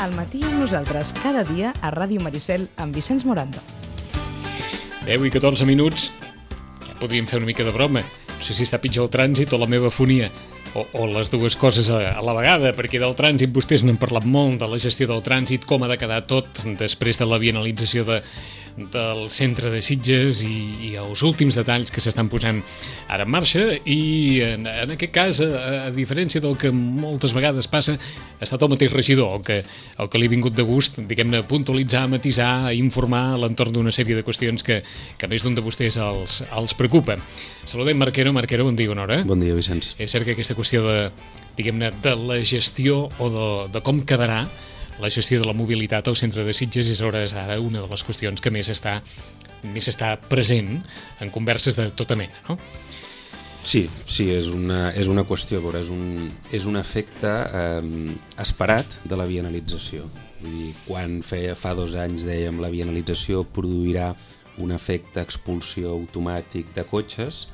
al matí amb nosaltres cada dia a Ràdio Maricel amb Vicenç Morando. 10 i 14 minuts, ja podríem fer una mica de broma. No sé si està pitjor el trànsit o la meva fonia, o les dues coses a la vegada, perquè del trànsit vostès n'han parlat molt, de la gestió del trànsit, com ha de quedar tot després de la bienalització del centre de Sitges i els últims detalls que s'estan posant ara en marxa, i en aquest cas, a diferència del que moltes vegades passa, ha estat el mateix regidor el que li ha vingut de gust, diguem-ne, puntualitzar, matisar, informar a l'entorn d'una sèrie de qüestions que més d'un de vostès els preocupa. Saludem Marquero, bon dia, bona hora. Bon dia, Vicenç. És cert que aquesta qüestió diguem-ne, de la gestió o de com quedarà la gestió de la mobilitat al centre de Sitges és ara una de les qüestions que més està present en converses de tota mena, no? Sí, és una qüestió, veure, és un efecte esperat de la bienalització. Vull dir, quan fa 2 anys dèiem la bienalització produirà un efecte expulsió automàtic de cotxes,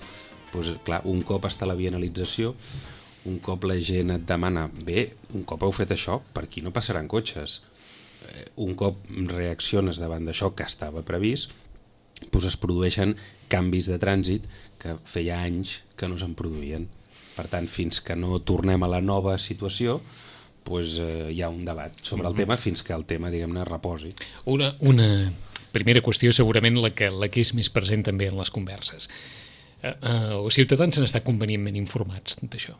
doncs clar, un cop està la bienalització, un cop la gent et demana, bé, un cop heu fet això, per aquí no passaran cotxes. Un cop reacciones davant d'això que estava previst, doncs es produeixen canvis de trànsit que feia anys que no se'n produïen. Per tant, fins que no tornem a la nova situació, doncs hi ha un debat sobre el tema fins que el tema, diguem-ne, reposi. Una primera qüestió, segurament la que és més present també en les converses. Els ciutadans han estat convenientment informats d'això?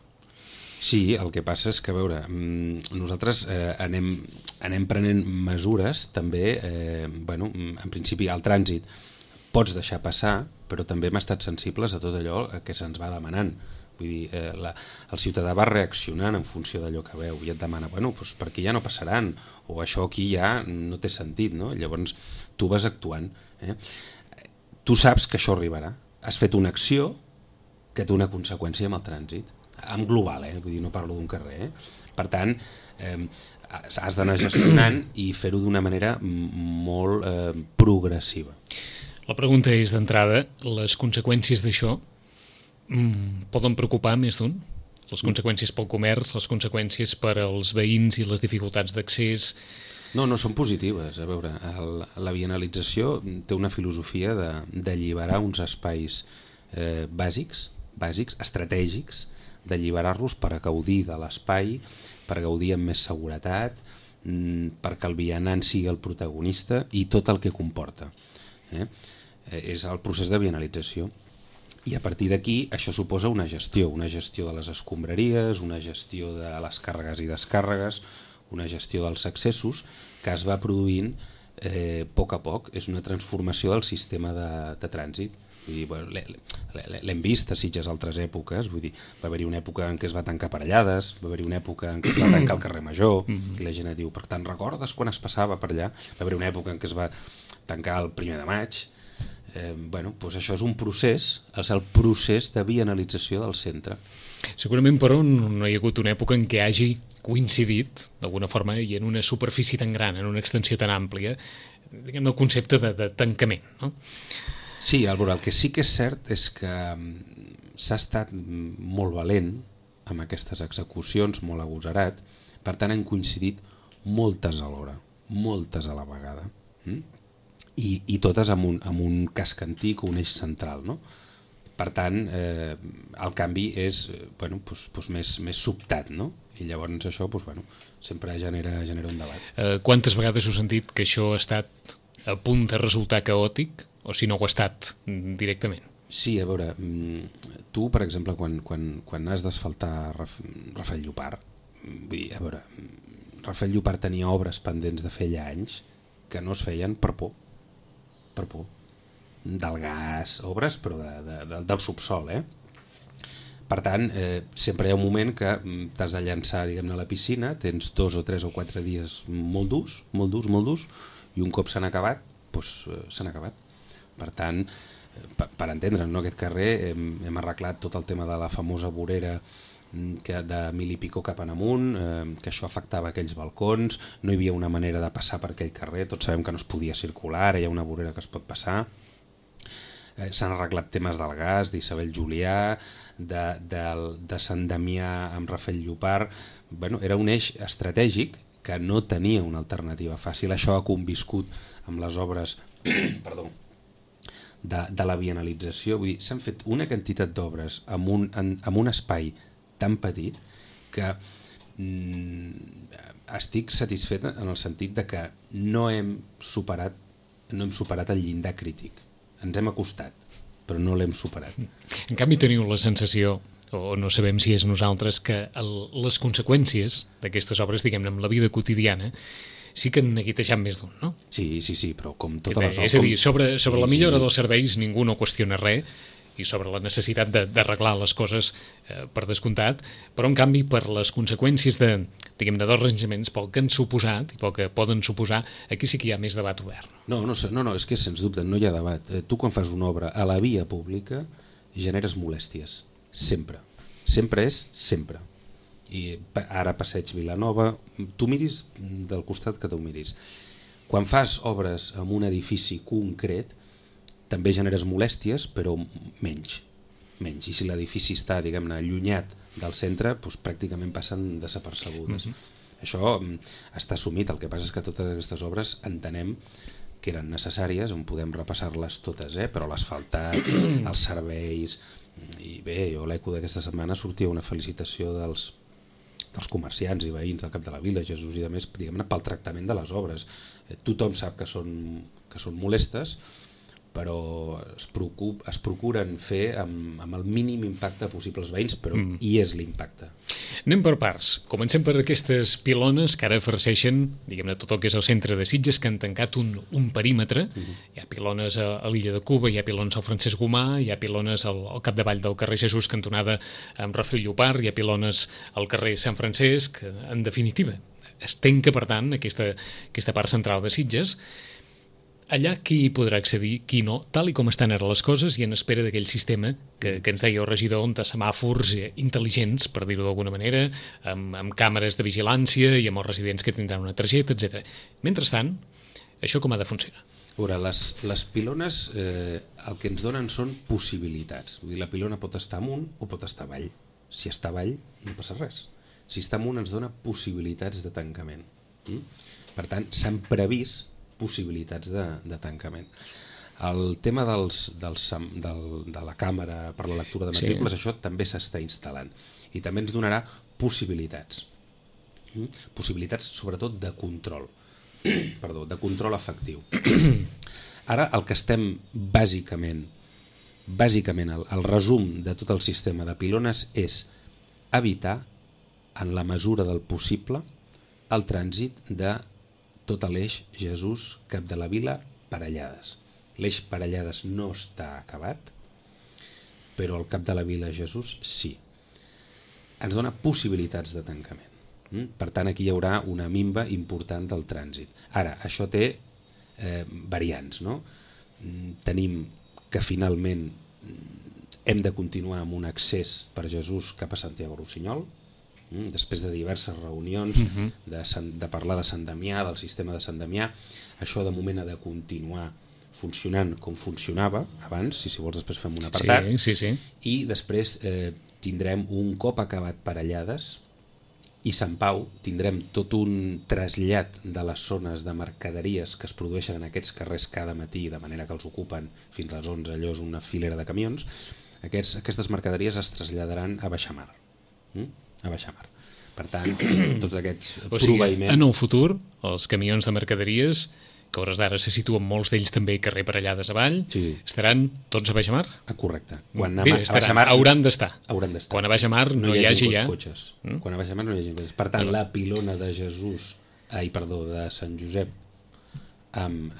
Sí, el que passa és que, a veure, nosaltres anem prenent mesures també, en principi al trànsit pots deixar passar, però també hem estat sensibles a tot allò que se'ns va demanant. Vull dir, el ciutadà va reaccionant en funció d'allò que veu i et demana, doncs per aquí ja no passaran, o això aquí ja no té sentit, no? Llavors tu vas actuant. Tu saps que això arribarà. Has fet una acció que té una conseqüència amb el trànsit. En global, vull dir, no parlo d'un carrer. Per tant, has d'anar gestionant i fer-ho d'una manera molt progressiva. La pregunta és, d'entrada, les conseqüències d'això poden preocupar més d'un? Les conseqüències pel comerç, les conseqüències per als veïns i les dificultats d'accés? No són positives. A veure, la bienalització té una filosofia d'alliberar uns espais bàsics, estratègics, d'alliberar-los per gaudir de l'espai, per gaudir amb més seguretat, perquè el vianant sigui el protagonista i tot el que comporta. És el procés de bienalització. I a partir d'aquí això suposa una gestió de les escombraries, una gestió de les càrregues i descàrregues, una gestió dels accessos que es va produint a poc. És una transformació del sistema de trànsit. L'hem vist a Sitges altres èpoques, vull dir, va haver-hi una època en què es va tancar Parellades, va haver-hi una època en què es va tancar el carrer Major, i la gent et diu, per tant, recordes quan es passava per allà? Va haver-hi una època en què es va tancar el 1er de maig. Doncs això és un procés, és el procés de bienalització del centre. Segurament, però, no hi ha hagut una època en què hagi coincidit, d'alguna forma, i en una superfície tan gran, en una extensió tan àmplia, diguem-ne, el concepte de tancament, no? Sí, el que sí que és cert és que s'ha estat molt valent amb aquestes execucions, molt agosarat, per tant han coincidit moltes alhora, moltes a la vegada, i totes amb un casc antic o un eix central, no? Per tant, el canvi és més sobtat, no? I llavors això sempre genera un debat. Quantes vegades heu sentit que això ha estat a punt de resultar caòtic, o si no ho ha estat directament? Sí, a veure, tu, per exemple, quan has d'asfaltar Rafael Llopart, vull dir, a veure, Rafael Llopart tenia obres pendents de fer ja anys que no es feien per por. Del gas, obres, però del subsol, Per tant, sempre hi ha un moment que t'has de llançar, diguem-ne, a la piscina, tens 2 o 3 o 4 dies molt durs, i un cop s'han acabat, doncs s'han acabat. Per tant, per entendre'ns, no? Aquest carrer hem arreglat tot el tema de la famosa vorera de 1000 i pico cap en amunt, que això afectava aquells balcons, no hi havia una manera de passar per aquell carrer, tots sabem que no es podia circular, ara hi ha una vorera que es pot passar. S'han arreglat temes del gas, d'Isabel Julià, de Sant Damià amb Rafael Llopart. Era un eix estratègic que no tenia una alternativa fàcil. Això ha conviscut amb les obres perdó, de la bienalització. Vull dir, s'han fet una quantitat d'obres amb un espai tan petit que estic satisfet en el sentit de que no hem superat el llindar crític. Ens hem acostat, però no l'hem superat. En canvi teniu la sensació, o no sabem si és nosaltres, que les conseqüències d'aquestes obres, diguem-ne, amb la vida quotidiana, sí que han neguitejat més d'un, no? Sí, però com totes les obres... És a dir, sobre la millora dels serveis ningú no qüestiona res, i sobre la necessitat d'arreglar les coses per descomptat, però en canvi per les conseqüències dels arranjaments, pel que han suposat i pel que poden suposar, aquí sí que hi ha més debat obert. No, és que sens dubte no hi ha debat. Tu quan fas una obra a la via pública generes molèsties, sempre. Sempre és sempre. I ara passeig Vilanova, tu miris del costat que tu miris. Quan fas obres en un edifici concret, també generes molèsties, però menys. I si l'edifici està, diguem-ne, allunyat del centre, doncs pràcticament passen desapercebudes. Això està assumit, el que passa és que totes aquestes obres entenem que eren necessàries, on podem repassar-les totes, però l'asfaltat, els serveis... I bé, jo l'eco d'aquesta setmana sortia una felicitació dels comerciants i veïns del Cap de la Vila, Jesús i de més, diguem-ne, pel tractament de les obres. Tothom sap que són molestes, però es procuren fer amb el mínim impacte possible als veïns, però hi és l'impacte. Anem per parts. Comencem per aquestes pilones que ara farceixen, diguem-ne, tot el que és el centre de Sitges, que han tancat un perímetre. Hi ha pilones a l'illa de Cuba, hi ha pilones al Francesc Gomà, hi ha pilones al capdavall del carrer Jesús, cantonada amb Rafael Llopart, hi ha pilones al carrer Sant Francesc. En definitiva, es tanca, per tant, aquesta part central de Sitges. Allà qui podrà accedir, qui no, tal i com estan ara les coses i en espera d'aquell sistema que ens deia el regidor, on semàfors intel·ligents, per dir-ho d'alguna manera, amb càmeres de vigilància i amb els residents que tindran una targeta, etc. Mentrestant, això com ha de funcionar? A veure, les pilones el que ens donen són possibilitats. Vull dir, la pilona pot estar amunt o pot estar avall. Si està avall no passa res. Si està amunt ens dona possibilitats de tancament. Per tant, s'han previst possibilitats de tancament. El tema de la càmera per la lectura de matrícules, això també s'està instal·lant i també ens donarà possibilitats sobretot de control de control efectiu. Ara el que estem bàsicament el resum de tot el sistema de pilones és evitar en la mesura del possible el trànsit de tot l'eix Jesús, Cap de la Vila, Parellades. L'eix Parellades no està acabat, però el Cap de la Vila Jesús sí. Ens dona possibilitats de tancament. Per tant, aquí hi haurà una minva important del trànsit. Ara, això té variants, no? Tenim que finalment hem de continuar amb un accés per Jesús cap a Santiago Rossinyol, després de diverses reunions de parlar de Sant Damià, del sistema de Sant Damià. Això de moment ha de continuar funcionant com funcionava abans, si vols després fem un apartat. Sí. I després tindrem un cop acabat Parellades i Sant Pau, tindrem tot un trasllat de les zones de mercaderies que es produeixen en aquests carrers cada matí, de manera que els ocupen fins a les 11, allò és una filera de camions. Aquestes mercaderies es traslladaran a baixamar. Per tant, tots aquests proveïments... En el futur, els camions de mercaderies, que a hores d'ara se situen molts d'ells també carrer Parellades avall, estaran tots a baixamar? Correcte. Hauran d'estar. Quan a baixamar no hi hagi ja... Quan a baixamar no hi hagi cotxes. Per tant, la pilona de de Sant Josep amb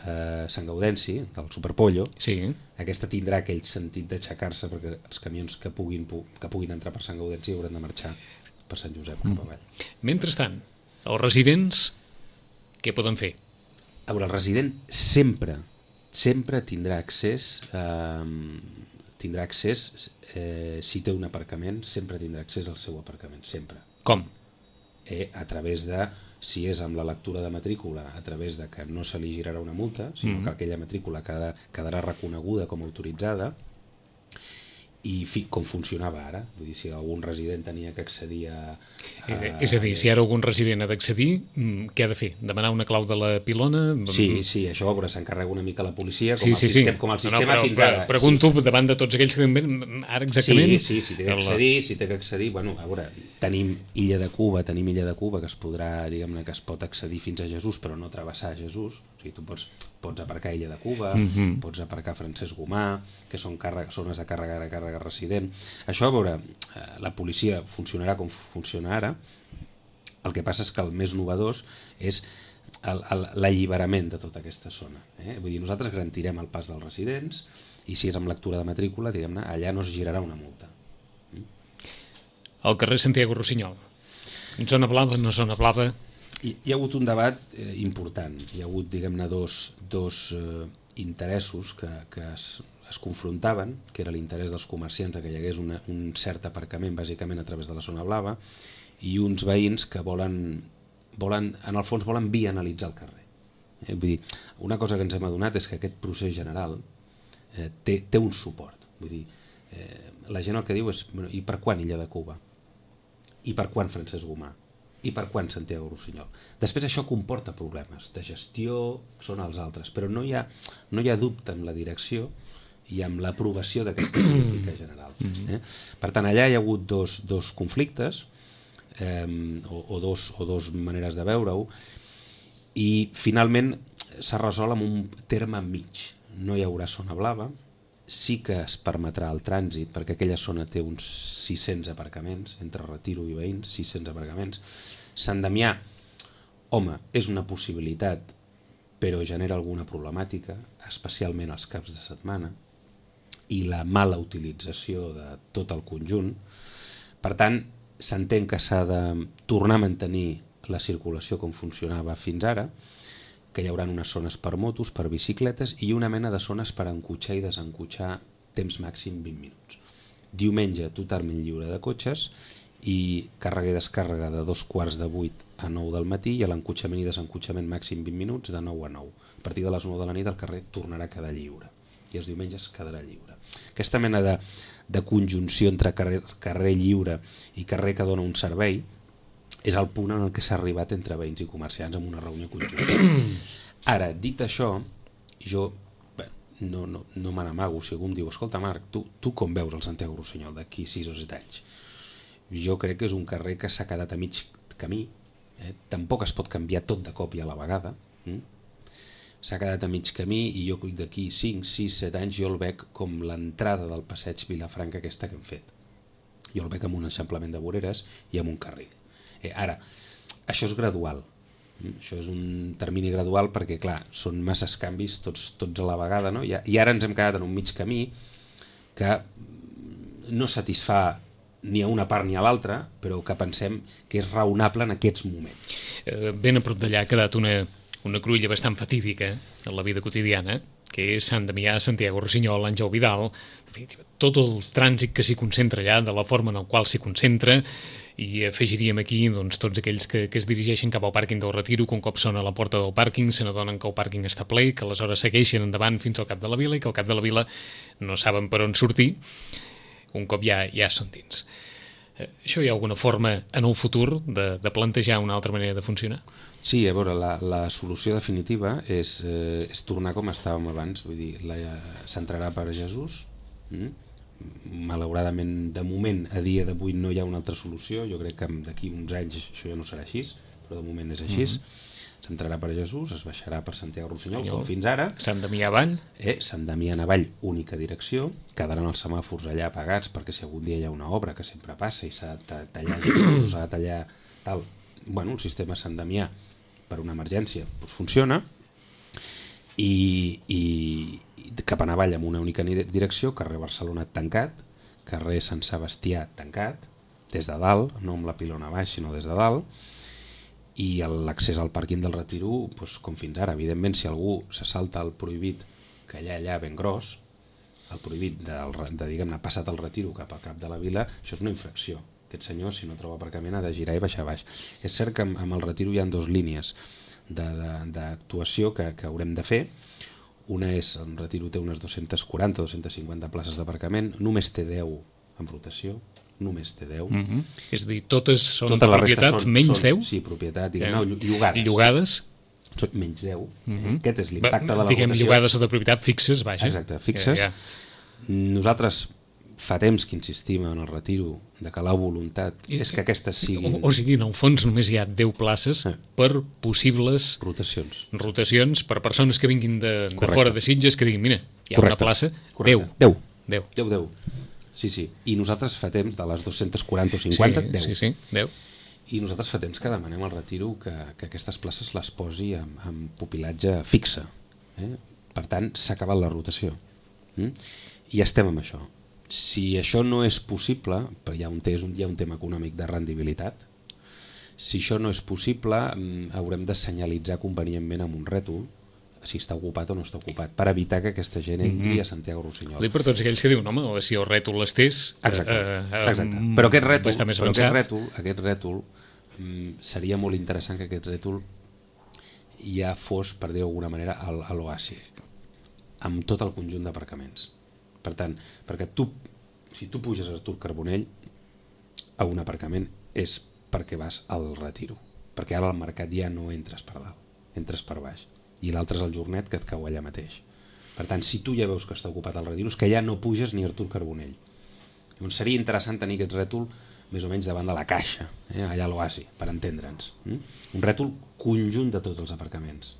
Sant Gaudenci, del Superpollo, aquesta tindrà aquell sentit d'aixecar-se perquè els camions que puguin entrar per Sant Gaudenci hauran de marxar per Sant Josep cap avall. Mentrestant, els residents què poden fer? A veure, el resident sempre tindrà accés si té un aparcament, sempre tindrà accés al seu aparcament, sempre. Com? A través de, si és amb la lectura de matrícula, a través de que no se li girarà una multa, sinó que aquella matrícula quedarà reconeguda com a autoritzada, i com funcionava ara, vull dir, si algun resident tenia que accedir a... És a dir, si ara algun resident ha d'accedir, què ha de fer? Demanar una clau de la pilona? Sí, això s'encarrega una mica la policia, com el sistema però, fins ara. Pregunto davant de tots aquells que diuen ara exactament... Sí, si té que accedir, bueno, a veure, tenim Illa de Cuba, que es podrà, diguem-ne, que es pot accedir fins a Jesús, però no travessar Jesús, o sigui, tu pots aparcar a Illa de Cuba, pots aparcar a Francesc Gomà, que són zones de càrrega resident. Això, a veure, la policia funcionarà com funciona ara. El que passa és que el més novedós és l'alliberament de tota aquesta zona. Vull dir, nosaltres garantirem el pas dels residents i si és amb lectura de matrícula, diguem-ne, allà no es girarà una multa. Al carrer Santiago Rossinyol. Zona blava, no zona blava? Hi ha hagut un debat important. Hi ha hagut, diguem-ne, dos interessos que es confrontaven, que era l'interès dels comerciants que hi hagués un cert aparcament bàsicament a través de la zona blava i uns veïns que volen en el fons volen bianalitzar el carrer. Vull dir, una cosa que ens hem adonat és que aquest procés general té un suport. Vull dir, la gent el que diu és i per quan Illa de Cuba? I per quan Francesc Gomà? I per quan Santiago Rossinyol? Després això comporta problemes de gestió, són els altres, però no hi ha dubte en la direcció i amb l'aprovació d'aquesta política general. Per tant, allà hi ha hagut dos conflictes o dos maneres de veure-ho i finalment s'ha resolt amb un terme mig. No hi haurà zona blava, sí que es permetrà el trànsit perquè aquella zona té uns 600 aparcaments, entre Retiro i Veïns, 600 aparcaments. Sant Damià, home, és una possibilitat, però genera alguna problemàtica, especialment els caps de setmana, i la mala utilització de tot el conjunt. Per tant, s'entén que s'ha de tornar a mantenir la circulació com funcionava fins ara, que hi haurà unes zones per motos, per bicicletes i una mena de zones per encotxar i desencotxar temps màxim 20 minuts. Diumenge totalment lliure de cotxes i càrrega i descàrrega de 7:45 a 9 del matí i l'encotxament i desencotxament màxim 20 minuts de 9 a 9. A partir de les 9 de la nit el carrer tornarà a quedar lliure i els diumenges quedarà lliure. Aquesta mena de conjunció entre carrer lliure i carrer que dona un servei és el punt en el que s'ha arribat entre veïns i comerciants en una reunió conjunta. Ara, dit això, jo no me n'amago si algú em diu escolta Marc, tu com veus el Santiago Rossinyol d'aquí 6 o 7 anys? Jo crec que és un carrer que s'ha quedat a mig camí, tampoc es pot canviar tot de cop i a la vegada, s'ha quedat a mig camí i jo d'aquí 5, 6, 7 anys jo el veig com l'entrada del passeig Vilafranca aquesta que hem fet. Jo el veig amb un eixamplament de voreres i amb un carril. Ara, això és gradual, això és un termini gradual perquè, clar, són masses canvis tots a la vegada, no? I ara ens hem quedat en un mig camí que no satisfà ni a una part ni a l'altra, però que pensem que és raonable en aquests moments. Ben a prop d'allà ha quedat una cruïlla bastant fatídica en la vida quotidiana, que és Sant Damià, Santiago Rossinyol, Àngel Vidal, tot el trànsit que s'hi concentra allà, de la forma en la qual s'hi concentra, i afegiríem aquí tots aquells que es dirigeixen cap al pàrquing del Retiro, que un cop són a la porta del pàrquing se n'adonen que el pàrquing està ple, que aleshores segueixen endavant fins al cap de la vila i que al cap de la vila no saben per on sortir, un cop ja són dins. Això hi ha alguna forma en el futur de plantejar una altra manera de funcionar? Sí, a veure, la solució definitiva és tornar com estàvem abans, vull dir, s'entrarà per Jesús, malauradament de moment a dia d'avui no hi ha una altra solució, jo crec que d'aquí uns anys això ja no serà així, però de moment és així. S'entrarà per Jesús, es baixarà per Santiago Rossinyol, com fins ara. Sant Damià avall. Sant Damià avall, única direcció, quedaran els semàfors allà apagats perquè si algun dia hi ha una obra que sempre passa i s'ha de tallar s'ha de tallar tal, bueno, el sistema Sant Damià per una emergència doncs funciona i cap a avall amb una única direcció, carrer Barcelona tancat, carrer Sant Sebastià tancat, des de dalt, no amb la pilona baix sinó des de dalt, i l'accés al pàrquing del Retiro doncs, com fins ara. Evidentment, si algú se salta el prohibit que allà ben gros, el prohibit de diguem-ne, passat el Retiro cap al cap de la vila, això és una infracció. Aquest senyor, si no troba aparcament, ha de girar i baixar baix. És cert que amb el Retiro hi ha 2 línies d'actuació que haurem de fer. Una és, el Retiro té unes 240-250 places d'aparcament, només té 10 en rotació, només té 10. És a dir, totes són de propietat, menys 10? Sí, propietat, llogades. Llogades? Són menys 10. Aquest és l'impacte de la rotació. Diguem, llogades o de propietat fixes, vaja. Exacte, fixes. Nosaltres fa temps que insistim en el Retiro de que la voluntat és que aquestes siguin... O sigui, en el fons només hi ha 10 places per possibles rotacions per persones que vinguin de fora de Sitges, que diguin, mira, hi ha una plaça, 10. 10. Sí. I nosaltres fa temps, de les 240 o 50, 10. Sí, 10. I nosaltres fa temps que demanem al Retiro que aquestes places les posi amb pupilatge fixe. Per tant, s'ha acabat la rotació. I estem amb això. Si això no és possible, perquè hi ha un tema econòmic de rendibilitat, si això no és possible, haurem de senyalitzar convenientment amb un rètol si està ocupat o no està ocupat, per evitar que aquesta gent entri a Santiago Rossinyol. Ho dic per tots aquells que diuen, home, si el rètol estés... Exacte. Però aquest rètol seria molt interessant que aquest rètol ja fos, per dir-ho d'alguna manera, a l'oasi, amb tot el conjunt d'aparcaments. Per tant, perquè si tu puges a Artur Carbonell a un aparcament és perquè vas al Retiro, perquè ara al mercat ja no entres per dalt, entres per baix, i l'altre és el Jornet que et cau allà mateix. Per tant, si tu ja veus que està ocupat el Retiro, és que ja no puges ni a Artur Carbonell. Llavors seria interessant tenir aquest rètol més o menys davant de la caixa, allà a l'oasi, per entendre'ns. Un rètol conjunt de tots els aparcaments.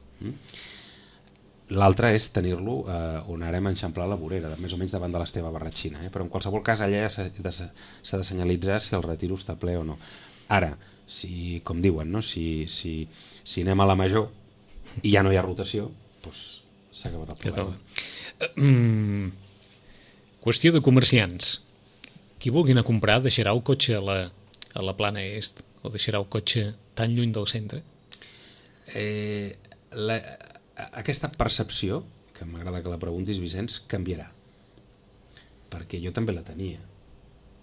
L'altre és tenir-lo on ara hem enxamplat la vorera, més o menys davant de l'Esteve Barratxina, però en qualsevol cas allà ja s'ha de senyalitzar si el Retiro està ple o no. Ara, com diuen, no? si anem a la Major i ja no hi ha rotació, doncs s'ha acabat el problema. Qüestió de comerciants. Qui vulgui anar a comprar deixarà el cotxe a la plana est o deixarà el cotxe tan lluny del centre? Aquesta percepció, que m'agrada que la preguntis, Vicenç, canviarà. Perquè jo també la tenia.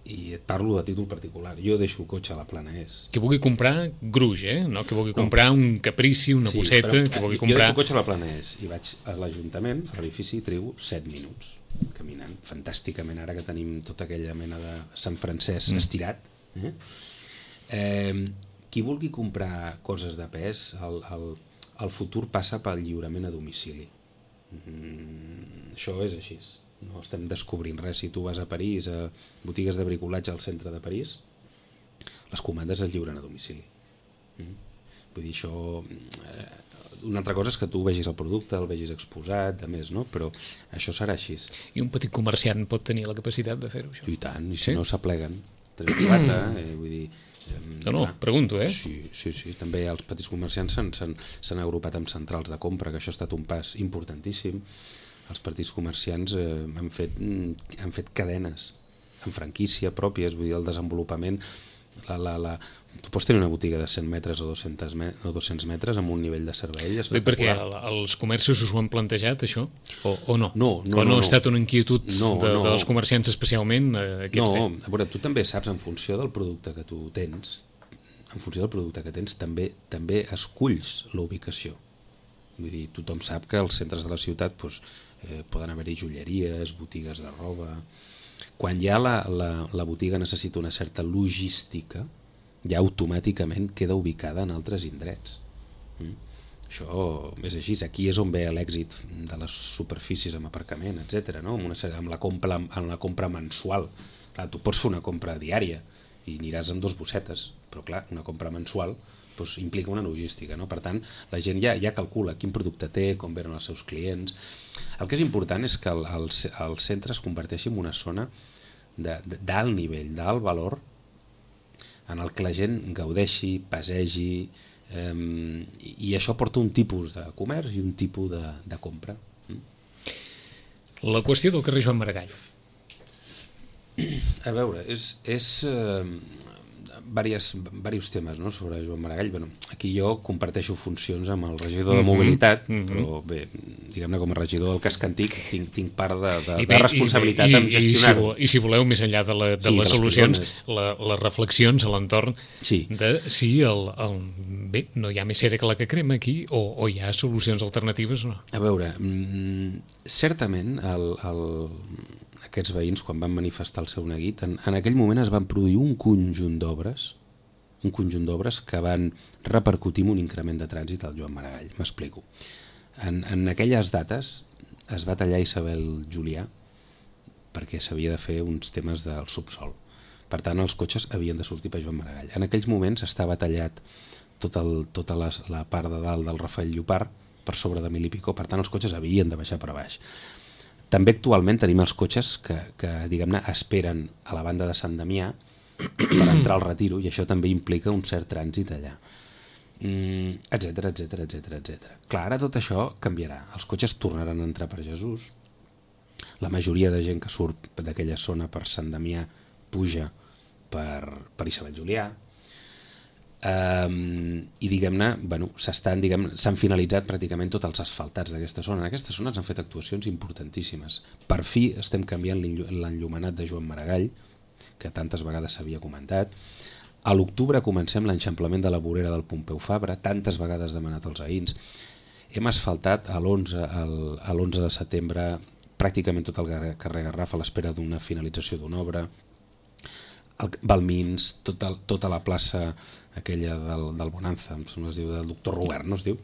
I et parlo de títol particular. Jo deixo el cotxe a la plana est. Que vulgui comprar gruix, no? Que vulgui comprar un caprici, una bosseta, que vulgui comprar... Jo deixo el cotxe a la plana est i vaig a l'Ajuntament, a l'edifici, i trigo 7 minuts caminant. Fantàsticament, ara que tenim tota aquella mena de Sant Francesc estirat. Qui vulgui comprar coses de pes, el futur passa pel lliurament a domicili. Això és així. No estem descobrint res. Si tu vas a París, a botigues de bricolatge al centre de París, les comandes es lliuren a domicili. Vull dir, això... Una altra cosa és que tu vegis el producte, el vegis exposat, a més, no? Però això serà així. I un petit comerciant pot tenir la capacitat de fer-ho, això? I tant, i si no s'apleguen. 3 o 4, vull dir... No, pregunto, Sí. També els petits comerciants s'han agrupat amb centrals de compra, que això ha estat un pas importantíssim. Els petits comerciants han fet cadenes en franquícia pròpies, vull dir, el desenvolupament... Tu pots tenir una botiga de 100 metres o 200 metres amb un nivell de servei espectacular. Perquè els comerços us ho han plantejat, això? O no? No. O no ha estat una inquietud dels comerciants especialment aquest fet? No, a veure, tu també saps, en funció del producte que tu tens, també esculls la ubicació. Vull dir, tothom sap que als centres de la ciutat poden haver-hi joieries, botigues de roba... Quan ja la botiga necessita una certa logística, ja automàticament queda ubicada en altres indrets. Això és així. Aquí és on ve l'èxit de les superfícies amb aparcament, etc. Amb la compra mensual. Clar, tu pots fer una compra diària i aniràs amb 2 bossetes, però clar, una compra mensual implica una logística, no? Per tant, la gent ja calcula quin producte té, com venen els seus clients. El que és important és que el centre es converteixi en una zona d'alt nivell, d'alt valor, en el que la gent gaudeixi, passegi, i això porta un tipus de comerç i un tipus de compra. La qüestió del carrer Joan Maragall. A veure, és diversos temes, no, sobre Joan Maragall. Aquí jo comparteixo funcions amb el regidor de mobilitat, però bé, diguem-ne, com a regidor del casc antic, tinc part de responsabilitat en gestionar-ho. I si voleu, més enllà de les solucions, les reflexions a l'entorn de si bé, no hi ha més cera que la que crema aquí o hi ha solucions alternatives o no. A veure, certament aquests veïns, quan van manifestar el seu neguit, en aquell moment es van produir un conjunt d'obres que van repercutir en un increment de trànsit al Joan Maragall. M'explico. En aquelles dates es va tallar Isabel Julià perquè s'havia de fer uns temes del subsol. Per tant, els cotxes havien de sortir per Joan Maragall. En aquells moments estava tallat tota la part de dalt del Rafael Llopart per sobre de 1.000 i pico, per tant els cotxes havien de baixar per baix. També actualment tenim els cotxes que diguem-ne, esperen a la banda de Sant Damià per entrar al Retiro, i això també implica un cert trànsit allà, etcètera. Clar, ara tot això canviarà. Els cotxes tornaran a entrar per Jesús, la majoria de gent que surt d'aquella zona per Sant Damià puja per Isabel Julià, i diguem-ne, s'han finalitzat pràcticament tots els asfaltats d'aquesta zona. En aquesta zona s'han fet actuacions importantíssimes. Per fi estem canviant l'enllumenat de Joan Maragall, que tantes vegades s'havia comentat. A l'octubre comencem l'enxamplament de la vorera del Pompeu Fabra, tantes vegades demanat als veïns. Hem asfaltat a l'11 de setembre pràcticament tot el carrer Garraf a l'espera d'una finalització d'una obra. Balmins, tota la plaça aquella del Bonanza, es diu, del doctor Robert, no es diu?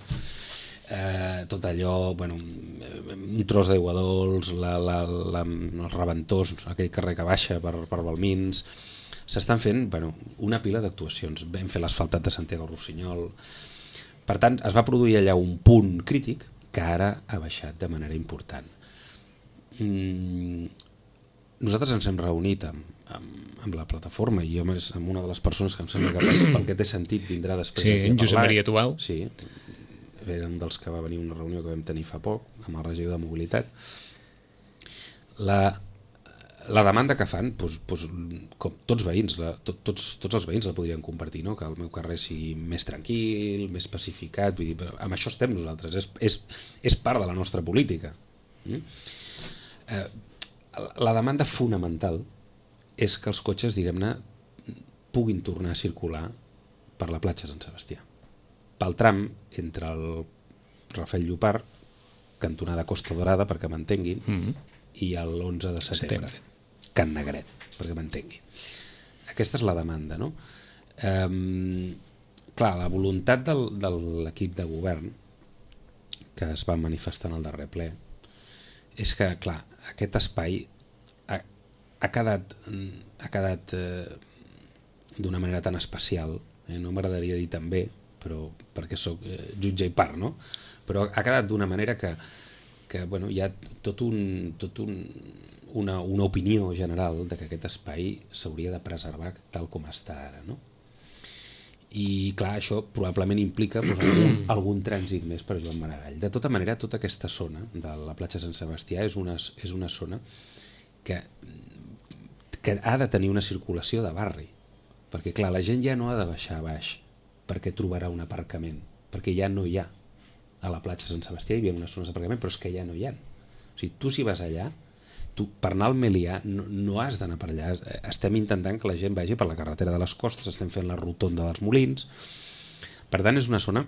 Tot allò, un tros d'aigua dolç, els Reventós, aquell carrer que baixa per Balmins. S'estan fent una pila d'actuacions. Vam fer l'asfaltat de Santiago Rossinyol. Per tant, es va produir allà un punt crític que ara ha baixat de manera important. Nosaltres ens hem reunit amb la plataforma i jo amb una de les persones que em sembla que pel que té sentit vindrà després aquí a parlar. Sí, Josep Maria Tubau. Sí, era un dels que va venir a una reunió que vam tenir fa poc amb el regidor de Mobilitat. La demanda que fan, com tots veïns, tots els veïns la podrien compartir, no? Que el meu carrer sigui més tranquil, més pacificat, vull dir, amb això estem nosaltres, és part de la nostra política. La demanda fonamental és que els cotxes, diguem-ne, puguin tornar a circular per la platja Sant Sebastià. Pel tram entre el Rafael Llopart, cantonada Costa Dorada, perquè m'entenguin, i l'11 de setembre. Can Negret, perquè m'entengui. Aquesta és la demanda, no? Clar, la voluntat de l'equip de govern que es va manifestar en el darrer ple és que, clar, aquest espai ha quedat d'una manera tan especial, no m'agradaria dir també, però perquè sóc jutge i part, no? Però ha quedat d'una manera que hi ha una opinió general de que aquest espai s'hauria de preservar tal com està ara, no? I clar, això probablement implica algun trànsit més per Joan Maragall. De tota manera, tota aquesta zona de la platja Sant Sebastià és una zona que ha de tenir una circulació de barri, perquè clar, la gent ja no ha de baixar a baix perquè trobarà un aparcament, perquè ja no hi ha. A la platja Sant Sebastià hi havia unes zones d'aparcament, però és que ja no hi ha. O sigui, tu si vas allà, per anar al Melià no has d'anar per allà. Estem intentant que la gent vagi per la carretera de les Costes, estem fent la rotonda dels Molins. Per tant, és una zona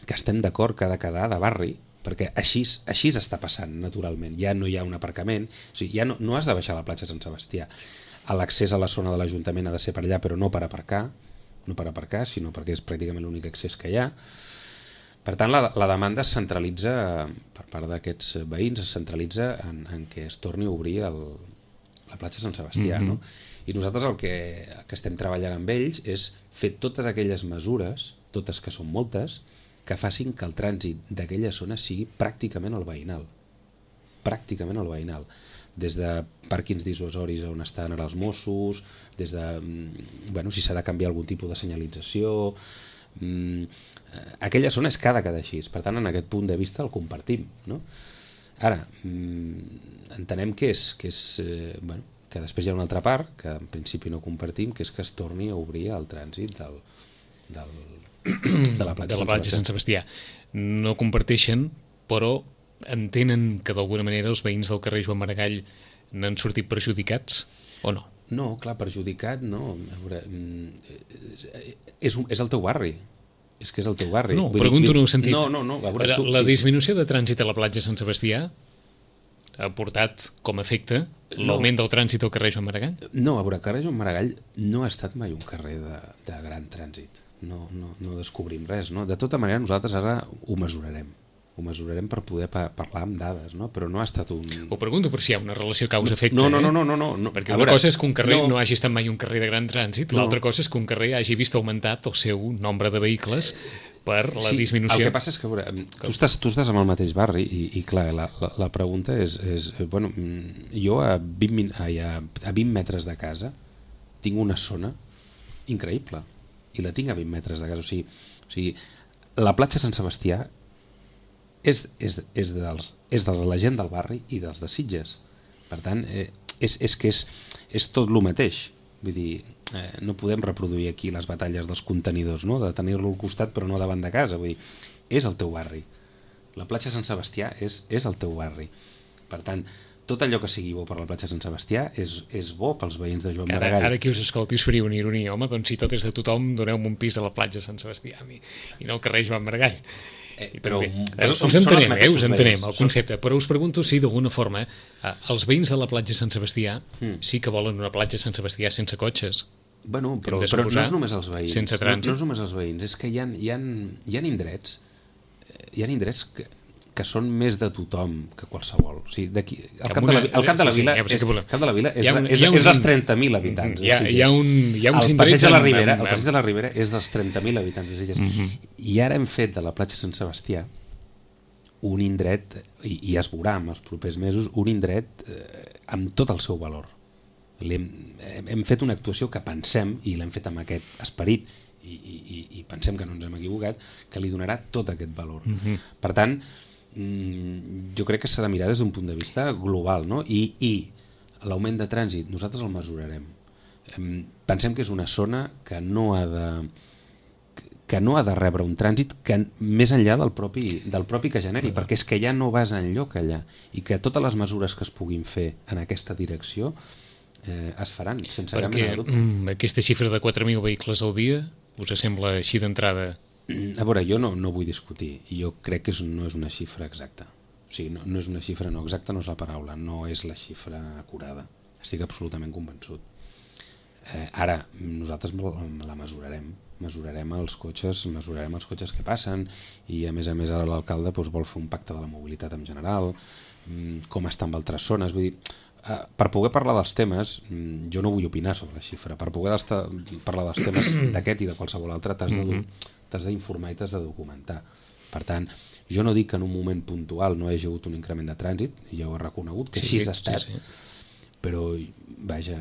que estem d'acord que ha de quedar de barri, perquè així està passant naturalment. Ja no hi ha un aparcament, o sigui, ja no has de baixar a la platja Sant Sebastià. L'accés a la zona de l'Ajuntament ha de ser per allà, però no per aparcar, sinó perquè és pràcticament l'únic accés que hi ha. Per tant, la demanda es centralitza, per part d'aquests veïns, es centralitza en què es torni a obrir la platja Sant Sebastià. No? I nosaltres el que estem treballant amb ells és fer totes aquelles mesures, totes que són moltes, que facin que el trànsit d'aquella zona sigui pràcticament el veïnal. Pràcticament el veïnal. Des de pàrquings dissuasoris on estan ara els Mossos, des de si s'ha de canviar algun tipus de senyalització. Aquella zona és que ha de quedar així. Per tant, en aquest punt de vista el compartim. No? Ara, entenem que que després hi ha una altra part, que en principi no compartim, que és que es torni a obrir el trànsit de la platja Sant Sebastià. No comparteixen, però entenen que d'alguna manera els veïns del carrer Joan Maragall n'han sortit perjudicats o no? No, clar, perjudicat no. A veure, és el teu barri. És que és el teu barri. No, pregunto en un sentit. No. A veure, la disminució de trànsit a la platja Sant Sebastià ha portat com a efecte l'augment del trànsit al carrer Joan Maragall? No, a veure, el carrer Joan Maragall no ha estat mai un carrer de gran trànsit. No descobrim res, no? De tota manera, nosaltres ara ho mesurarem. Ho mesurarem per poder parlar amb dades, no? Però no ha estat un... Ho pregunto per si hi ha una relació causa-efecte. No. Perquè una cosa és que un carrer no hagi estat mai un carrer de gran trànsit, l'altra cosa és que un carrer hagi vist augmentat el seu nombre de vehicles per la disminució. El que passa és que, a veure, tu estàs en el mateix barri i clar, la pregunta és bueno, jo a 20 metres de casa tinc una zona increïble i la tinc a 20 metres de casa. O sigui, la platja Sant Sebastià és de la gent del barri i dels de Sitges. Per tant, és tot el mateix. Vull dir, no podem reproduir aquí les batalles dels contenidors, no? De tenir-lo al costat però no davant de casa. Vull dir, és el teu barri. La platja Sant Sebastià és el teu barri. Per tant, tot allò que sigui bo per la platja Sant Sebastià és bo pels veïns de Joan Maragall. Ara qui us escolti us faria una ironia. Home, doncs si tot és de tothom, doneu-me un pis a la platja Sant Sebastià i no al carrer Joan Maragall. Però us entenem el concepte, però us pregunto si d'alguna forma els veïns de la platja Sant Sebastià sí que volen una platja Sant Sebastià sense cotxes. Bueno, però no és només els veïns. Sense trànsit. No és només els veïns, és que hi ha indrets que són més de tothom que qualsevol. O sigui, el Camp de la Vila és dels 30.000 habitants de Sitges. Hi ha uns el Passeig de la Ribera és dels 30.000 habitants de Sitges. I ara hem fet de la platja Sant Sebastià un indret, i es veurà en els propers mesos, un indret amb tot el seu valor. Hem fet una actuació que pensem, i l'hem fet amb aquest esperit, i pensem que no ens hem equivocat, que li donarà tot aquest valor. Per tant, jo crec que s'ha de mirar des d'un punt de vista global, no? I l'augment de trànsit nosaltres el mesurarem. Pensem que és una zona que no ha de rebre un trànsit que més enllà del propi que generi, perquè és que ja no vas enlloc allà, i que totes les mesures que es puguin fer en aquesta direcció es faran sense cap mena de dubte. Aquesta xifra de 4.000 vehicles al dia us sembla així d'entrada? A veure, jo no vull discutir, jo crec que no és una xifra exacta. O sigui, no és una xifra no exacta, no és la paraula, no és la xifra acurada. Estic absolutament convençut. Ara, nosaltres la mesurarem els cotxes que passen, i a més ara l'alcalde vol fer un pacte de la mobilitat en general, com està amb altres zones. Vull dir, per poder parlar dels temes, jo no vull opinar sobre la xifra, per poder parlar dels temes d'aquest i de qualsevol altre t'has d'informar i t'has de documentar. Per tant, jo no dic que en un moment puntual no hi hagi hagut un increment de trànsit, ja ho he reconegut, que així ha estat, però vaja,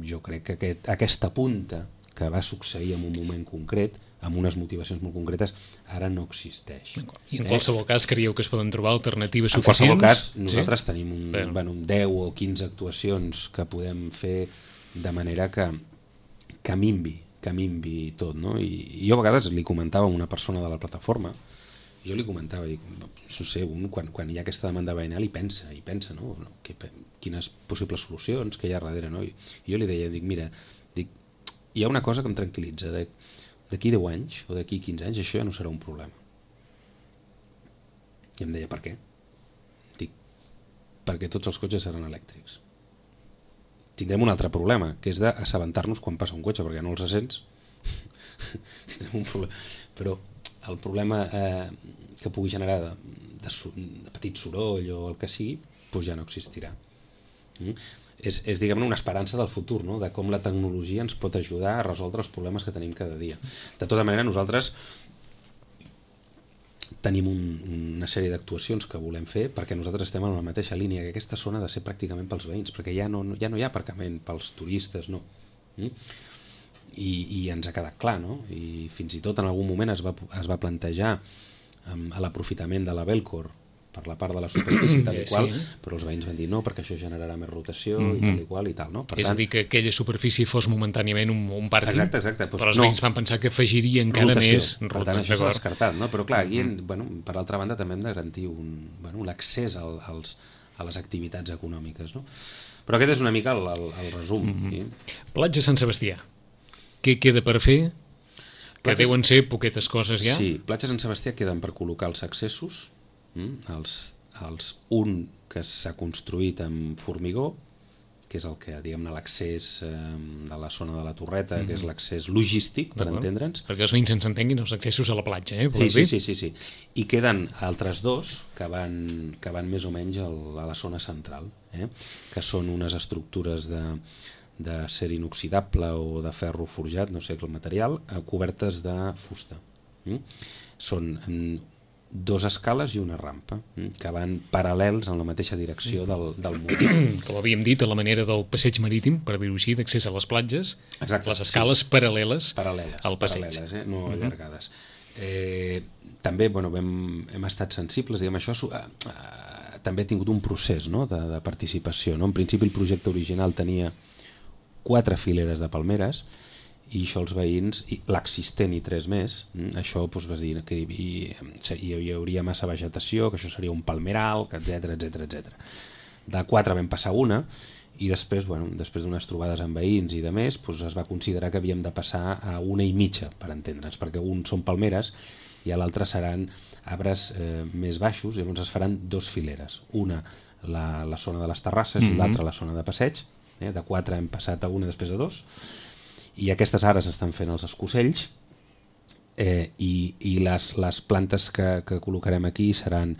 jo crec que aquesta punta que va succeir en un moment concret, amb unes motivacions molt concretes, ara no existeix. I en qualsevol cas creieu que es poden trobar alternatives suficients? En qualsevol cas, nosaltres tenim 10 o 15 actuacions que podem fer de manera que minvi tot, no? I jo a vegades li comentava a una persona de la plataforma, jo li comentava, dic, no sé, quan hi ha aquesta demanda veïnal i pensa, no? Quines possibles solucions que hi ha darrere, no? I jo li deia, mira, hi ha una cosa que em tranquil·litza, d'aquí 10 anys o d'aquí 15 anys això ja no serà un problema. I em deia, per què? Dic, perquè tots els cotxes seran elèctrics. Tindrem un altre problema, que és d'assabentar-nos quan passa un cotxe, perquè no els sents. Tindrem un problema. Però el problema que pugui generar de petit soroll o el que sigui, doncs ja no existirà. És diguem-ne, una esperança del futur, no? De com la tecnologia ens pot ajudar a resoldre els problemes que tenim cada dia. De tota manera, nosaltres tenim una sèrie d'actuacions que volem fer perquè nosaltres estem en la mateixa línia, que aquesta zona ha de ser pràcticament pels veïns, perquè ja no hi ha aparcament pels turistes, no. I ens ha quedat clar, no? I fins i tot en algun moment es va plantejar l'aprofitament de la Belcor per la part de la superfície tal i qual, Sí. però els veïns van dir no, perquè això generarà més rotació i tal i qual i tal, no? Per És a dir, que aquella superfície fos momentàniament un pàrquing, Exacte. però els veïns van pensar que afegiria encara més per tant, això s'ha descartat, no? Però clar, aquí, per altra banda, també hem de garantir l'accés a les activitats econòmiques, no? Però aquest és una mica el resum. Platja Sant Sebastià, què queda per fer? Que deuen ser poquetes coses ja? Sí, Platja Sant Sebastià queden per col·locar els accessos, un que s'ha construït amb formigó, que és el que, diguem-ne, l'accés de la zona de la Torreta, que és l'accés logístic, per entendre'ns. Perquè els veïns ens entenguin, els accessos a la platja, Sí. I queden altres dos que van més o menys a la zona central, que són unes estructures d'acer inoxidable o de ferro forjat, no sé el material, cobertes de fusta. Són 2 escales i una rampa que van paral·lels en la mateixa direcció del mur. Com havíem dit, a la manera del passeig marítim, per dir-ho així, d'accés a les platges. Exacte, les escales paral·leles al passeig. Paral·leles, no allargades. També hem estat sensibles, diguem, això també ha tingut un procés, no?, de participació, no? En principi el projecte original tenia 4 fileres de palmeres i això els veïns, l'existent i 3 més, això vas dir que hi hauria massa vegetació, que això seria un palmeral, etc. De 4 vam passar una i després d'unes trobades amb veïns i de més, es va considerar que havíem de passar a 1,5, per entendre'ns, perquè un són palmeres i a l'altre seran arbres més baixos, i llavors es faran 2 fileres, una la zona de les terrasses i l'altra la zona de passeig. De 4 hem passat a una, després a 2, i aquestes ara s'estan fent els escocells, i les plantes que col·locarem aquí seran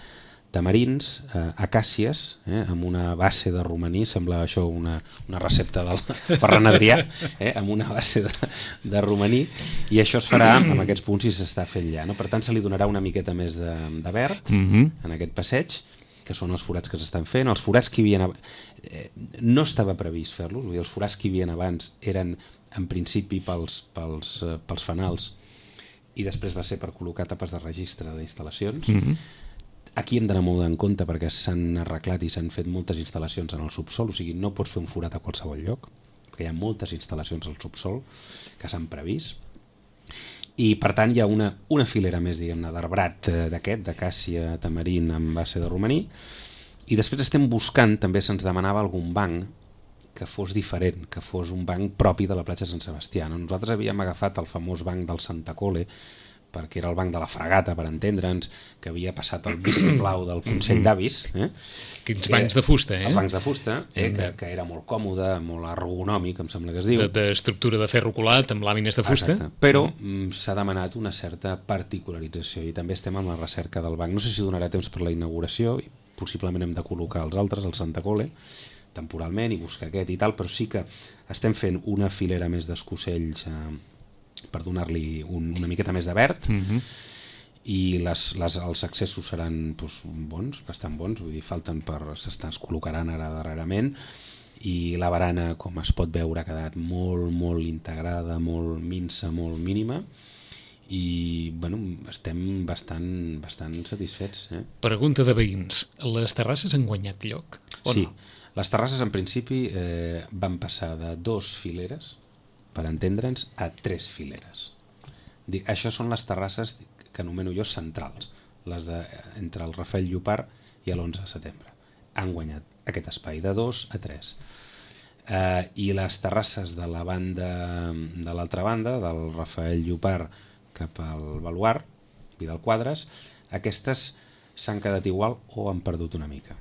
tamarins, acàcies, amb una base de romaní, sembla això una recepta del Ferran Adrià, amb una base de romaní, i això es farà amb aquests punts i s'està fent ja, no? Per tant, se li donarà una miqueta més de verd en aquest passeig, que són els forats que s'estan fent. Els forats que hi havia no estava previst fer-los, vull dir, els forats que hi havia abans eren en principi pels fanals i després va ser per col·locar tapes de registre d'instal·lacions. Aquí hem d'anar molt en compte perquè s'han arreglat i s'han fet moltes instal·lacions en el subsol, o sigui, no pots fer un forat a qualsevol lloc, perquè hi ha moltes instal·lacions al subsol que s'han previst. I per tant hi ha una filera més, diguem-ne, d'arbrat d'aquest, d'acàcia tamarín amb base de romaní, i després estem buscant, també se'ns demanava algun banc que fos diferent, que fos un banc propi de la platja Sant Sebastià. Nosaltres havíem agafat el famós banc del Santa Cole, perquè era el banc de la Fragata, per entendre'ns, que havia passat el vistiplau del Consell d'Avis. Quins bancs de fusta, Els bancs de fusta, que era molt còmode, molt ergonòmic, em sembla que es diu. D'estructura de ferro colat amb làmines de fusta. Exacte. Però s'ha demanat una certa particularització i també estem en la recerca del banc. No sé si donarà temps per la inauguració, i possiblement hem de col·locar els altres, el Santa Cole, temporalment, i buscar aquest i tal, però sí que estem fent una filera més d'escocells per donar-li una miqueta més de verd, i els accessos seran bons, bastant bons, vull dir, es col·locaran ara darrerament, i la barana, com es pot veure, ha quedat molt, molt integrada, molt minsa, molt mínima, i estem bastant satisfets. Pregunta de veïns, les terrasses han guanyat lloc o no? Sí, les terrasses en principi van passar de 2 fileres, per entendre'ns, a 3 fileres. Això són les terrasses que anomeno jo centrals, les entre el Rafael Llopart i l'11 de setembre. Han guanyat aquest espai de 2 a 3. I les terrasses de l'altra banda, del Rafael Llopart cap al Baluard, Vidal Quadres, aquestes s'han quedat igual o han perdut una mica.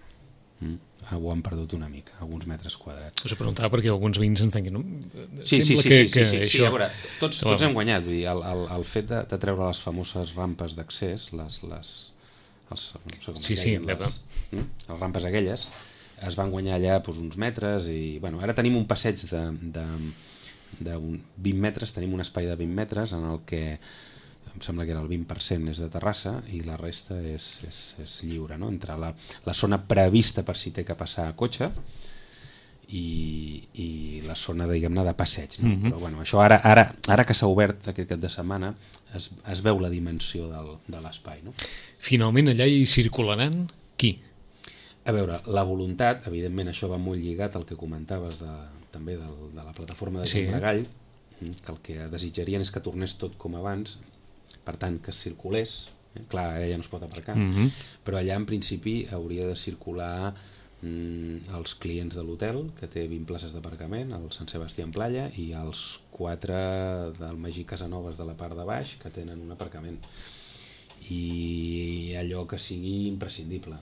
Alguns metres quadrats. Us ho preguntava perquè alguns veïns entenguin. Sí, a veure, tots hem guanyat. Vull dir, el fet de treure les famoses rampes d'accés, les rampes aquelles, es van guanyar allà uns metres, i ara tenim un passeig de 20 metres, tenim un espai de 20 metres en el que em sembla que era el 20% és de terrassa i la resta és lliure, no? Entre la zona prevista per si té que passar a cotxe i la zona, diguem-ne, de passeig, no? Però això ara que s'ha obert aquest cap de setmana es veu la dimensió de l'espai, no? Finalment allà hi circularan qui? A veure, la voluntat, evidentment això va molt lligat al que comentaves també de la plataforma de Joan Maragall, que el que desitjarien és que tornés tot com abans, per tant que circulés, clar, ella no es pot aparcar, però allà en principi hauria de circular els clients de l'hotel, que té 20 places d'aparcament, el Sant Sebastià en Playa, i els 4 del Magí Casanovas de la part de baix, que tenen un aparcament. I allò que sigui imprescindible.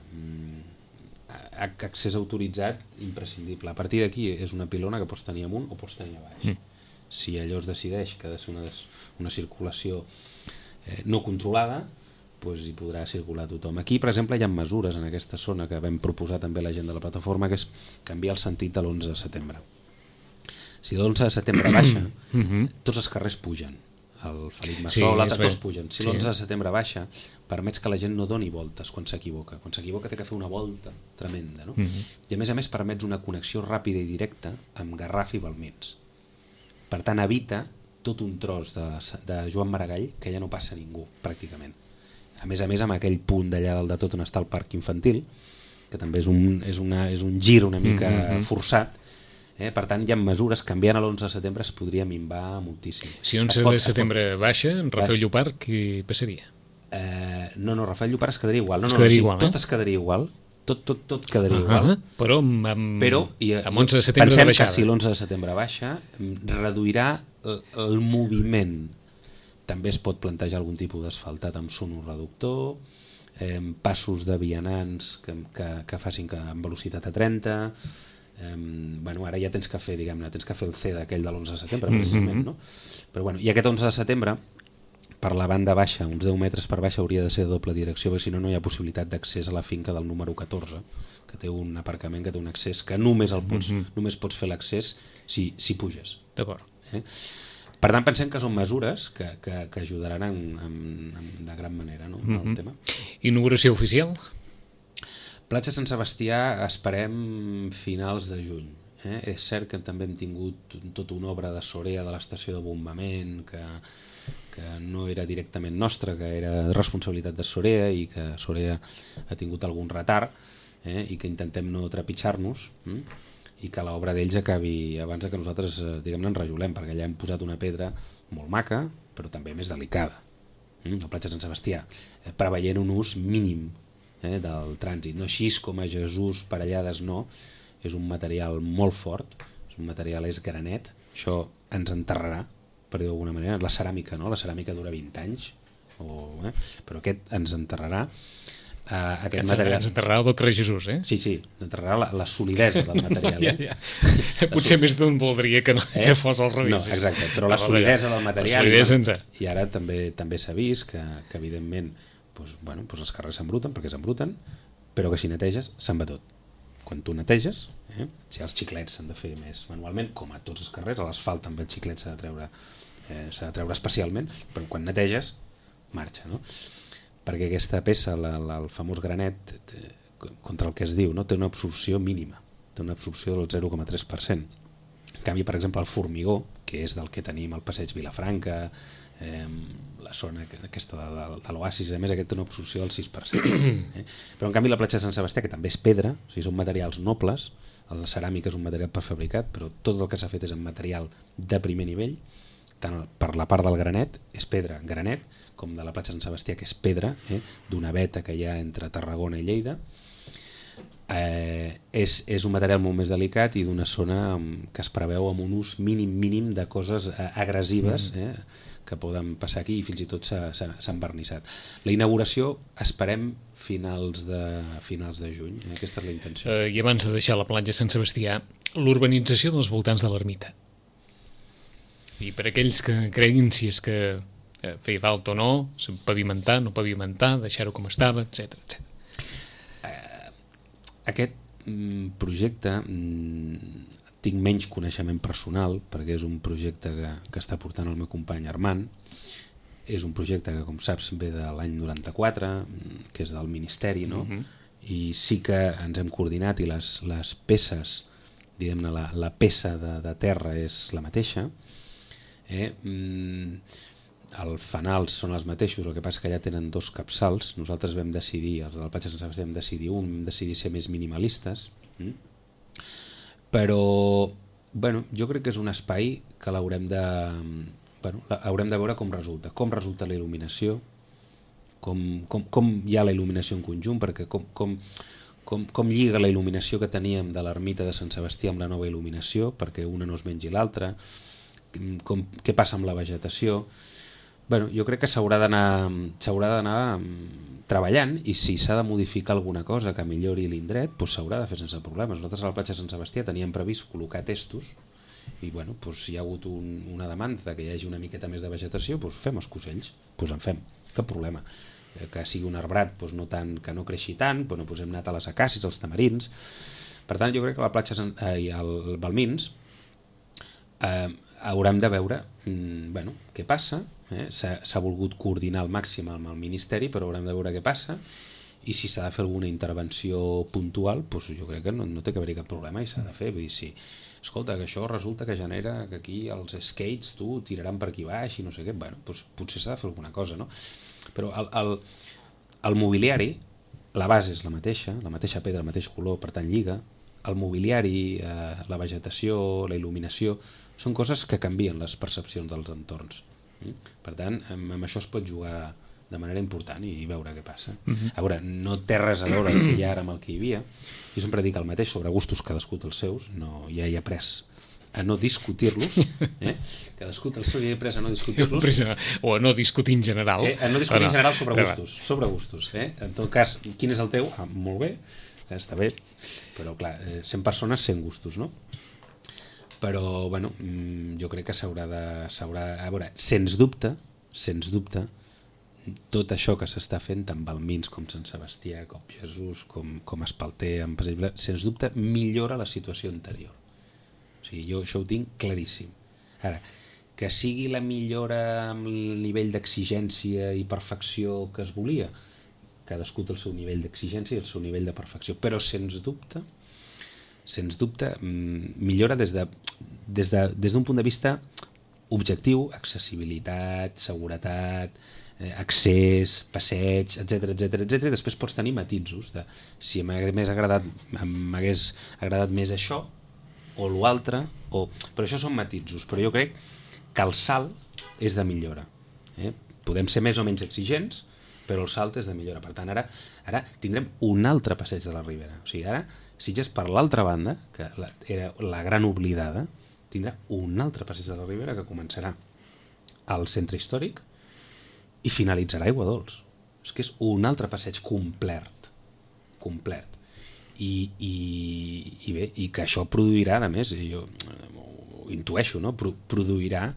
Accés autoritzat, imprescindible. A partir d'aquí és una pilona que pots tenir amunt o pots tenir a baix. Si allò es decideix que ha de ser una circulació no controlada, doncs hi podrà circular tothom. Aquí, per exemple, hi ha mesures en aquesta zona que vam proposar també a la gent de la plataforma, que és canviar el sentit de l'11 de setembre. Si l'11 de setembre baixa, tots els carrers pugen. El Felip Massó, l'altre, tots pugen. Si l'11 de setembre baixa, permets que la gent no doni voltes quan s'equivoca. Quan s'equivoca té que fer una volta tremenda, no? I a més permets una connexió ràpida i directa amb Garraf i Balmins. Per tant, evita tot un tros de Joan Maragall que ja no passa ningú, pràcticament. A més, amb aquell punt d'allà dalt de tot on està el parc infantil, que també és un gir una mica forçat. Per tant, hi ha mesures, canviant a l'11 de setembre es podria minvar moltíssim. Si 11 de setembre baixa, Rafael Llopart, què passaria? No, Rafael Llopart es quedaria igual. Tot es quedaria igual. Tot quedaria igual. Però amb 11 de setembre pensem de baixada. Que si l'11 de setembre baixa, reduirà el moviment. També es pot plantejar algun tipus d'asfaltat amb sonoreductor, passos de vianants que facin amb velocitat a 30. Ara ja tens que fer, tens que fer el C d'aquell de l'11 de setembre, precisament, no? Però i aquest 11 de setembre, per la banda baixa, uns 10 metres per baixa, hauria de ser de doble direcció, perquè si no, no hi ha possibilitat d'accés a la finca del número 14, que té un aparcament, que té un accés, que només pots fer l'accés si puges. D'acord. Per tant, pensem que són mesures que ajudaran de gran manera, no? El tema. Inauguració oficial? Platja Sant Sebastià esperem finals de juny. És cert que també hem tingut tota una obra de Sorea de l'estació de bombament que no era directament nostra, que era responsabilitat de Sorea i que Sorea ha tingut algun retard i que intentem no trepitjar-nos i que l'obra d'ells acabi abans que nosaltres ens rajolem, perquè allà hem posat una pedra molt maca però també més delicada, la platja Sant Sebastià, preveient un ús mínim del trànsit, no així com a Jesús, Parellades no, és un material molt fort, és granet, això ens enterrarà, per dir d'alguna manera. La ceràmica no, la ceràmica dura 20 anys, però aquest ens enterrarà. Ens enterrarà el doctor Jesús, eh? Sí, ens enterrarà la solidesa del material. Potser més d'un voldria que fos al revés. No, exacte, però la solidesa del material. I ara també s'ha vist que evidentment els carrers s'embruten perquè s'embruten, però que si neteges se'n va tot. Quan tu neteges, si els xiclets s'han de fer més manualment, com a tots els carrers, a l'asfalt també el xiclet s'ha de treure especialment, però quan neteges marxa, no? Perquè aquesta peça, el famós granet, contra el que es diu, no? Té una absorció mínima, té una absorció del 0,3%. En canvi, per exemple, el formigó, que és del que tenim al passeig Vilafranca, la zona aquesta de l'Oasis, a més aquest té una absorció del 6%. Però en canvi la platja de Sant Sebastià, que també és pedra, o sigui, són materials nobles, la ceràmica és un material prefabricat, però tot el que s'ha fet és en material de primer nivell, tant per la part del granet, és pedra, granet, com de la platja de Sant Sebastià, que és pedra, d'una veta que hi ha entre Tarragona i Lleida. És un material molt més delicat i d'una zona que es preveu amb un ús mínim de coses agressives que poden passar aquí i fins i tot s'ha envernissat. La inauguració esperem finals de juny, aquesta és la intenció. I abans de deixar la platja Sant Sebastià, l'urbanització dels voltants de l'ermita. I per aquells que creguin si és que feia falta o no, pavimentar, no pavimentar, deixar-ho com estava, etc. Aquest projecte tinc menys coneixement personal perquè és un projecte que està portant el meu company Armand. És un projecte que, com saps, ve de l'any 94, que és del Ministeri, no? I sí que ens hem coordinat i les peces, diguem-ne, la peça de terra és la mateixa. els fanals són els mateixos, el que passa que allà tenen 2 capçals. Nosaltres vam decidir, els de la platja de Sant Sebastià vam decidir ser més minimalistes, però jo crec que és un espai que l'haurem de veure com resulta la il·luminació, com hi ha la il·luminació en conjunt, perquè com lliga la il·luminació que teníem de l'ermita de Sant Sebastià amb la nova il·luminació, perquè una no es mengi l'altra, què passa amb la vegetació. Jo crec que s'haurà d'anar treballant, i si s'ha de modificar alguna cosa que millori l'indret, s'haurà de fer sense problemes. Nosaltres a la platja de Sant Sebastià teníem previst col·locar testos, i si hi ha hagut una demanda que hi hagi una miqueta més de vegetació, fem els cosells, en fem, cap problema. Que sigui un arbrat, que no creixi tant, hem anat a les acàcies, als tamarins. Per tant, jo crec que a la platja i al Balmins haurem de veure què passa. S'ha volgut coordinar al màxim amb el Ministeri, però haurem de veure què passa, i si s'ha de fer alguna intervenció puntual, jo crec que no té que haver-hi cap problema, i s'ha de fer. Vull dir, si, escolta, que això resulta que genera que aquí els skates tiraran per aquí baix i no sé què, potser s'ha de fer alguna cosa, no? Però el mobiliari, la base és la mateixa pedra, el mateix color, per tant lliga. El mobiliari, la vegetació, la il·luminació, són coses que canvien les percepcions dels entorns. Per tant, amb això es pot jugar de manera important i veure què passa. A veure, no té res a veure el que hi ha ara amb el que hi havia. Jo sempre dic el mateix sobre gustos, cadascú té els seus, ja he après a no discutir-los, cadascú té el seu, ja he après a no discutir-los. O a no discutir en general. A no discutir en general sobre gustos. En tot cas, quin és el teu? Molt bé, està bé, però clar, 100 persones, 100 gustos, no? Però, jo crec que s'haurà de... A veure, sens dubte, tot això que s'està fent tant Balmins com Sant Sebastià, com Jesús, com Espalter, sens dubte millora la situació anterior. O sigui, jo això ho tinc claríssim. Ara, que sigui la millora amb el nivell d'exigència i perfecció que es volia, cadascú té el seu nivell d'exigència i el seu nivell de perfecció, però sens dubte millora des d'un punt de vista objectiu, accessibilitat, seguretat, accés, passeig, etc. Després pots tenir matisos de si m'hagués agradat més això o l'altre, però això són matisos, però jo crec que el salt és de millora. Podem ser més o menys exigents, però el salt és de millora. Per tant, ara tindrem un altre passeig de la Ribera. O sigui, ara Sitges, per l'altra banda, que era la gran oblidada, tindrà un altre passeig de la Ribera que començarà al centre històric i finalitzarà a Aiguadols. És que és un altre passeig complet. I bé, i que això produirà, a més, jo ho intueixo, no? Produirà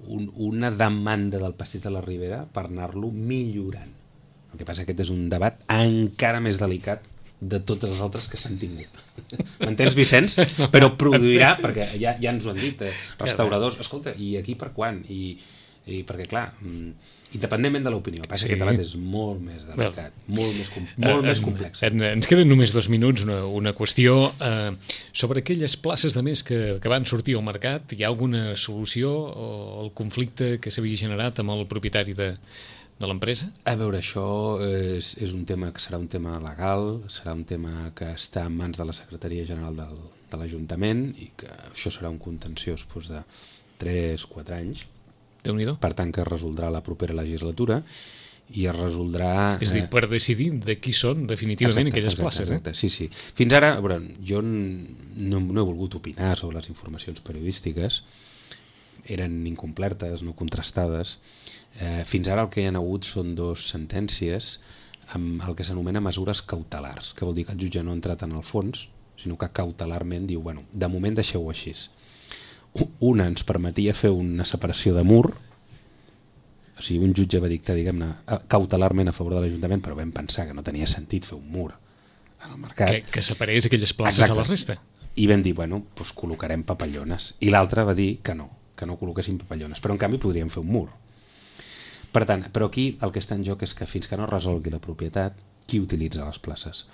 una demanda del passeig de la Ribera per anar-lo millorant. El que passa que aquest és un debat encara més delicat de tots els altres que s'han tingut. M'entens, Vicenç? Però produirà, perquè ja ens ho han dit, restauradors, escolta, i aquí per quan? I perquè, clar, independentment de l'opinió, passa que aquest debat és molt més delicat, molt més complex. Ens queden només 2 minuts, una qüestió sobre aquelles places de més que van sortir al mercat. Hi ha alguna solució al conflicte que s'havia generat amb el propietari de l'empresa? A veure, això és un tema que serà un tema legal, serà un tema que està en mans de la Secretaria General de l'Ajuntament i que això serà un contenciós de 3-4 anys. Déu-n'hi-do. Per tant, que es resoldrà la propera legislatura i es resoldrà... És a dir, per decidir de qui són definitivament aquelles places. Exacte, sí. Fins ara, a veure, jo no he volgut opinar sobre les informacions periodístiques, eren incomplertes, no contrastades. Fins ara el que hi ha hagut són 2 sentències amb el que s'anomena mesures cautelars, que vol dir que el jutge no ha entrat en el fons, sinó que cautelarment diu, de moment deixeu-ho així. Una ens permetia fer una separació de mur, o sigui, un jutge va dir que, diguem-ne, cautelarment a favor de l'Ajuntament, però vam pensar que no tenia sentit fer un mur al mercat. Que separés aquelles places de la resta. I vam dir, doncs col·locarem papallones. I l'altre va dir que no col·loquessin papallones, però en canvi podríem fer un mur. Per tant, però aquí el que està en joc és que fins que no resolgui la propietat, qui utilitza les places?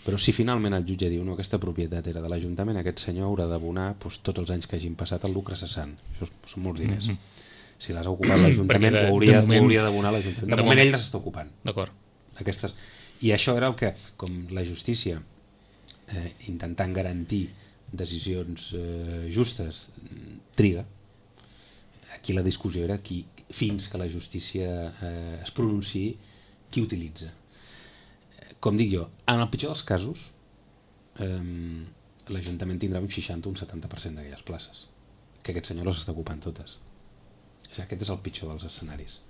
Però si finalment el jutge diu no, aquesta propietat era de l'Ajuntament, aquest senyor haurà d'abonar tots els anys que hagin passat el lucre cessant. Això són molts diners. Si les ha ocupat l'Ajuntament, ho hauria d'abonar l'Ajuntament. De moment ell les està ocupant. D'acord. I això era el que, com la justícia, intentant garantir decisions justes, triga. Aquí la discussió era fins que la justícia es pronunciï, qui utilitza. Com dic jo, en el pitjor dels casos, l'Ajuntament tindrà un 60 o un 70% d'aquelles places, que aquest senyor les està ocupant totes. Aquest és el pitjor dels escenaris.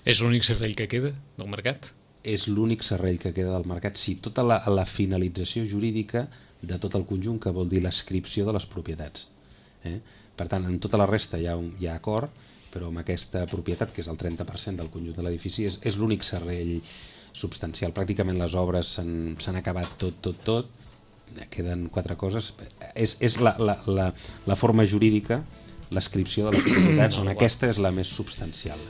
És l'únic servei que queda del mercat? És l'únic servei que queda del mercat, sí, tota la finalització jurídica de tot el conjunt, que vol dir l'adscripció de les propietats. Per tant, en tota la resta hi ha acord, però amb aquesta propietat, que és el 30% del conjunt de l'edifici, és l'únic servei substancial. Pràcticament les obres s'han acabat tot, queden 4 coses. És la forma jurídica, l'adscripció de les propietats, on aquesta és la més substancial.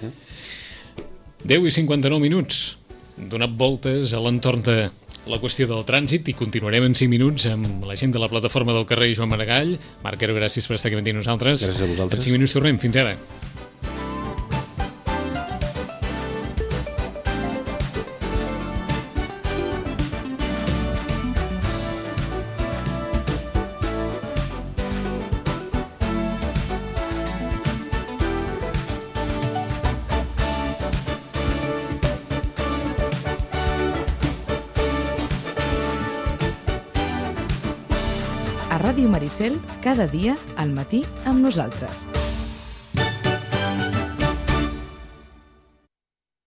10:59, donat voltes a l'entorn de la qüestió del trànsit, i continuarem en 5 minuts amb la gent de la plataforma del carrer Joan Maragall. Marc Quero, gràcies per estar aquí amb nosaltres. Gràcies a vosaltres. En 5 minuts tornem. Fins ara. A Ràdio Maricel, cada dia al matí amb nosaltres.